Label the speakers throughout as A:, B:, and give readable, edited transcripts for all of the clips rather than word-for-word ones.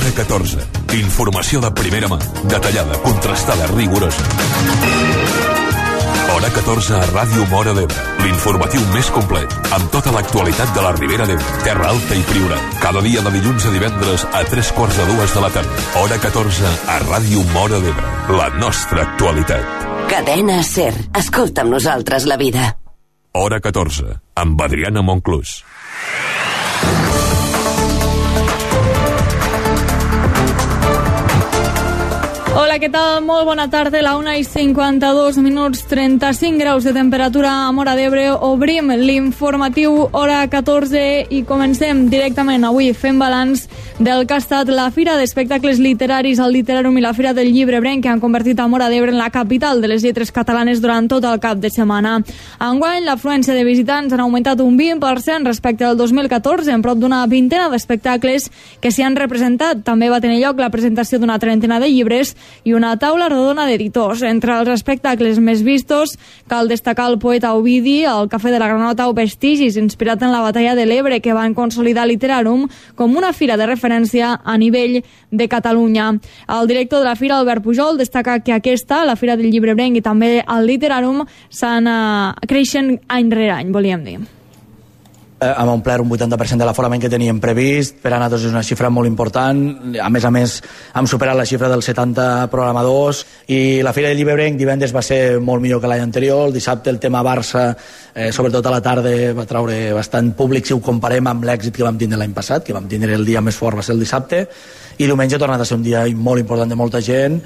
A: Hora 14. Informació de primera mà, detallada, contrastada, rigorosa. Hora 14 a Ràdio Móra d'Ebre. L'informatiu més complet, amb tota l'actualitat de la Ribera d'Ebre, Terra Alta i Priorat. Cada dia de dilluns a divendres a 3:45 de la tarda. Hora 14 a Ràdio Móra d'Ebre. La nostra actualitat.
B: Cadena SER. Escolta amb nosaltres la vida.
A: Hora 14, amb Adriana Monclús.
C: Hola, què tal? Molt bona tarda. La 1:52, 35 graus de temperatura a Móra d'Ebre. Obrim l'informatiu Hora 14 i comencem directament avui fent balanç del que ha estat la Fira d'Espectacles Literaris, el Literàrium i la Fira del Llibre Ebrenc, que han convertit a Móra d'Ebre en la capital de les lletres catalanes durant tot el cap de setmana. Enguany, l'afluència de visitants han augmentat un 20% respecte al 2014, en prop d'una vintena d'espectacles que s'hi han representat. També va tenir lloc la presentació d'una trentena de llibres i una taula rodona d'editors. Entre els espectacles més vistos cal destacar el poeta Ovidi, el Cafè de la Granota o Vestigis, inspirat en la batalla de l'Ebre, que van consolidar Literàrium com una fira de referència a nivell de Catalunya. El director de la fira, Albert Pujol, destaca que aquesta, la Fira del Llibre Ebrenc i també el Literàrium, creixen any rere any, volíem dir.
D: Hem omplert un 80% de l'aforament que teníem previst. Per a nosaltres és una xifra molt important. A més, hem superat la xifra dels 70 programadors i la Fira del Llibre Ebrenc divendres va ser molt millor que l'any anterior. El dissabte el tema Barça, sobretot a la tarda, va treure bastant públic si ho comparem amb l'èxit que vam tindre l'any passat, que vam tindre el dia més fort va ser el dissabte, i diumenge ha tornat a ser un dia molt important de molta gent.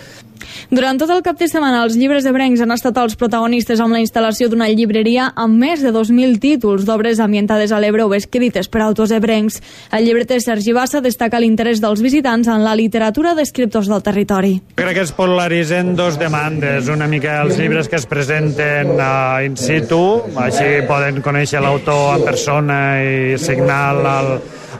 C: Durant tot el cap de setmana, els llibres ebrencs han estat els protagonistes amb la instal·lació d'una llibreria amb més de 2.000 títols d'obres ambientades a l'Ebre o escrites per autors ebrencs. El llibreter Sergi Bassa destaca l'interès dels visitants en la literatura d'escriptors del territori.
E: Crec que es polaritzen dos demandes, una mica els llibres que es presenten in situ, així poden conèixer l'autor en persona i signar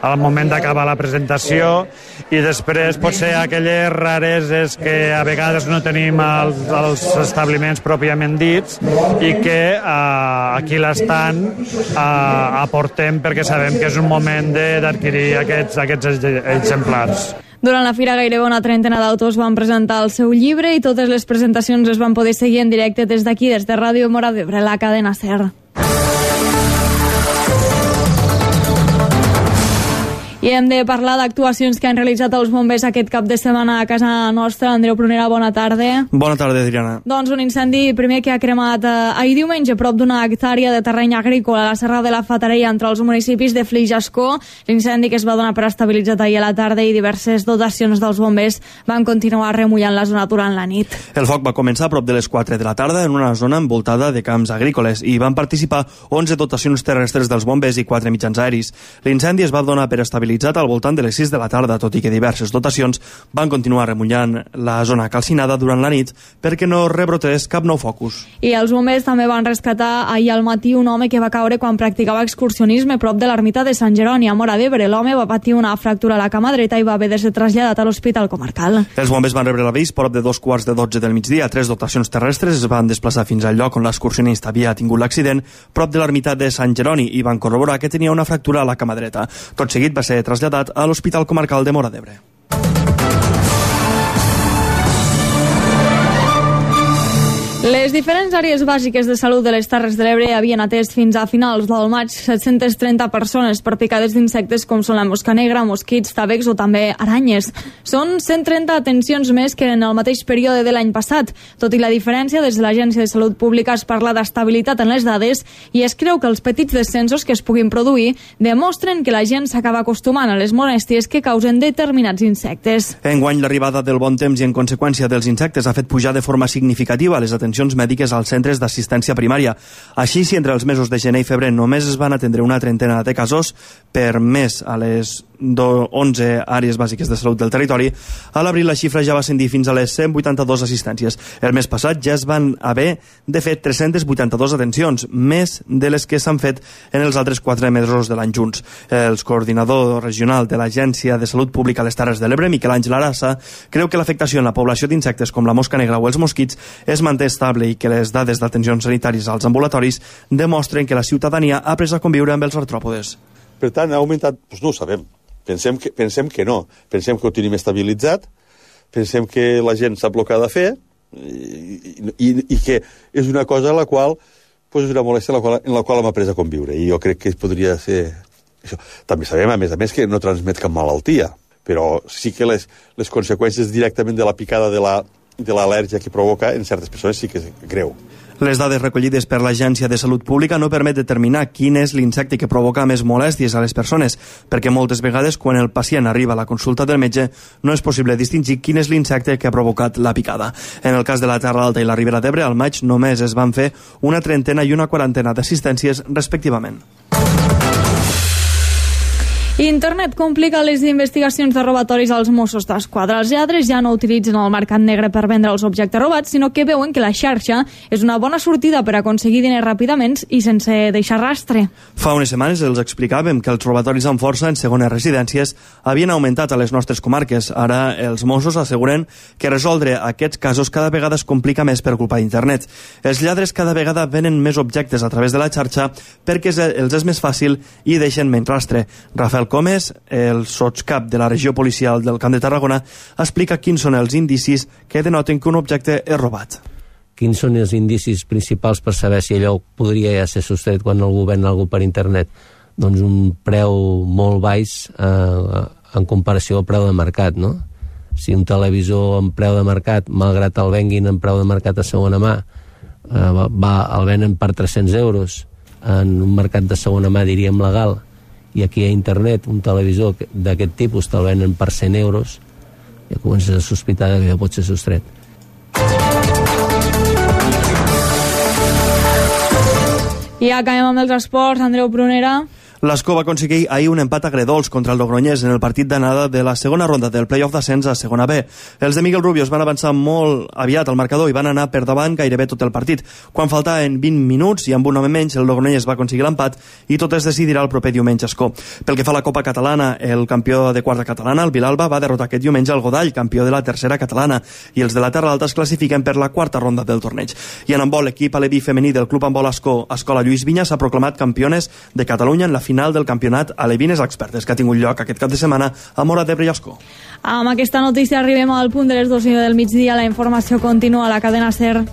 E: al moment d'acabar la presentació, i després potser aquelles rareses que a vegades no tenim als establiments pròpiament dits i que aquí l'estan aportem perquè sabem que és un moment d'adquirir aquests exemplars.
C: Durant la fira gairebé una trentena d'autors van presentar el seu llibre i totes les presentacions es van poder seguir en directe des d'aquí, des de Ràdio Móra d'Ebre, la cadena SER. I hem de parlar d'actuacions que han realitzat els bombers aquest cap de setmana a casa nostra. Andreu Prunera, bona tarda.
F: Bona tarda, Adriana.
C: Doncs un incendi primer que ha cremat ahir diumenge prop d'una hectàrea de terreny agrícola a la Serra de la Fatarella entre els municipis de Flix i Ascó. L'incendi, que es va donar per estabilitzat ahir a la tarda, i diverses dotacions dels bombers van continuar remullant la zona durant la nit.
F: El foc va començar a prop de les 4 de la tarda en una zona envoltada de camps agrícoles i van participar 11 dotacions terrestres dels bombers i 4 mitjans aeris. L'incendi es va donar per estabilitzat al voltant de les 6 de la tarda, tot i que diverses dotacions van continuar remullant la zona calcinada durant la nit perquè no rebrotés cap nou focus.
C: I els bombers també van rescatar ahir al matí un home que va caure quan practicava excursionisme prop de l'ermita de Sant Jeroni, a Móra d'Ebre. L'home va patir una fractura a la cama dreta i va haver de ser traslladat a l'hospital comarcal.
F: Els bombers van rebre l'avís prop de 2:15 del migdia. 3 dotacions terrestres es van desplaçar fins al lloc on l'excursionista havia tingut l'accident, prop de l'ermita de Sant Jeroni, i van corroborar que tenia una fractura a la cama dreta. Tot seguit va ser traslladat a l'Hospital Comarcal de Móra d'Ebre.
C: Les diferents àrees bàsiques de salut de les Terres de l'Ebre havien atès fins a finals del maig 730 persones per picades d'insectes com són la mosca negra, mosquits, tàvecs o també aranyes. Són 130 atencions més que en el mateix període de l'any passat. Tot i la diferència, des de l'Agència de Salut Pública es parla d'estabilitat en les dades i es creu que els petits descensos que es puguin produir demostren que la gent s'acaba acostumant a les molèsties que causen determinats insectes.
F: Enguany, l'arribada del bon temps i en conseqüència dels insectes ha fet pujar de forma significativa les atencions mèdiques als centres d'assistència primària. Així, si entre els mesos de gener i febrer només es van atendre una trentena de casos per mes a les 11 àrees bàsiques de salut del territori, a l'abril la xifra ja va ascendir fins a les 182 assistències. El mes passat ja es van haver de fer 382 atencions, més de les que s'han fet en els altres 4 mesos de l'any junts. El coordinador regional de l'Agència de Salut Pública a les Terres de l'Ebre, Miquel Àngel Arassa, creu que l'afectació en la població d'insectes com la mosca negra o els mosquits es manté estable i que les dades d'atencions sanitàries als ambulatoris demostren que la ciutadania ha après a conviure amb els artròpodes.
G: Per tant, ha augmentat, doncs no ho sabem. Pensem que no. Pensem que ho tenim estabilitzat, pensem que la gent sap el que ha de fer i que és una cosa en la qual és una molèstia en la qual hem après a conviure. I jo crec que podria ser això. També sabem, a més, que no transmet cap malaltia, però sí que les conseqüències directament de la picada de l'al·lèrgia que provoca en certes persones sí que és greu.
F: Les dades recollides per l'Agència de Salut Pública no permet determinar quin és l'insecte que provoca més molèsties a les persones, perquè moltes vegades, quan el pacient arriba a la consulta del metge, no és possible distingir quin és l'insecte que ha provocat la picada. En el cas de la Terra Alta i la Ribera d'Ebre, al maig només es van fer una 30 i una 40 d'assistències, respectivament.
C: Internet complica les investigacions de robatoris als Mossos d'Esquadra. Els lladres ja no utilitzen el mercat negre per vendre els objectes robats, sinó que veuen que la xarxa és una bona sortida per aconseguir diners ràpidament i sense deixar rastre.
F: Fa unes setmanes els explicàvem que els robatoris amb força en segones residències havien augmentat a les nostres comarques. Ara els Mossos asseguren que resoldre aquests casos cada vegada es complica més per culpa d'internet. Els lladres cada vegada venen més objectes a través de la xarxa perquè els és més fàcil i deixen menys rastre. Rafael Comes, el sotscap de la regió policial del Camp de Tarragona, explica quins són els indicis que denoten que un objecte és robat.
H: Quins són els indicis principals per saber si allò podria ja ser sostret quan algú ven algú per internet? Doncs un preu molt baix en comparació al preu de mercat, no? Si un televisor en preu de mercat, malgrat el venguin en preu de mercat a segona mà, el venen per 300 euros, en un mercat de segona mà diríem legal, i aquí a internet un televisor d'aquest tipus te'l venen per 100 euros, ja comences a sospitar que ja pot ser sostret.
C: I acabem amb els esports. Andreu Prunera.
F: L'Escó va aconseguir ahir un empat agredolç contra el Logroñés en el partit d'anada de la segona ronda del play-off d'ascens a segona B. Els de Miguel Rubio es van avançar molt aviat al marcador i van anar per davant gairebé tot el partit. Quan faltaven 20 minuts i amb un home menys, el Logroñés va aconseguir l'empat i tot es decidirà el proper diumenge a Escó. Pel que fa a la Copa Catalana, el campió de quarta catalana, el Vilalba, va derrotar aquest diumenge el Godall, campió de la tercera catalana, i els de la Terra Alta es classifiquen per la quarta ronda del torneig. I en handbol, l'equip aleví femení del Club Handbol Escó, Escola Lluís Vinya, s'ha proclamat campiones de Catalunya en la final del campionat Alevines Expertes, que ha tingut lloc aquest cap de setmana a Móra d'Ebre i Escó.
C: Amb aquesta notícia arribem al punt de les 12 del migdia. La informació continua a la cadena SER.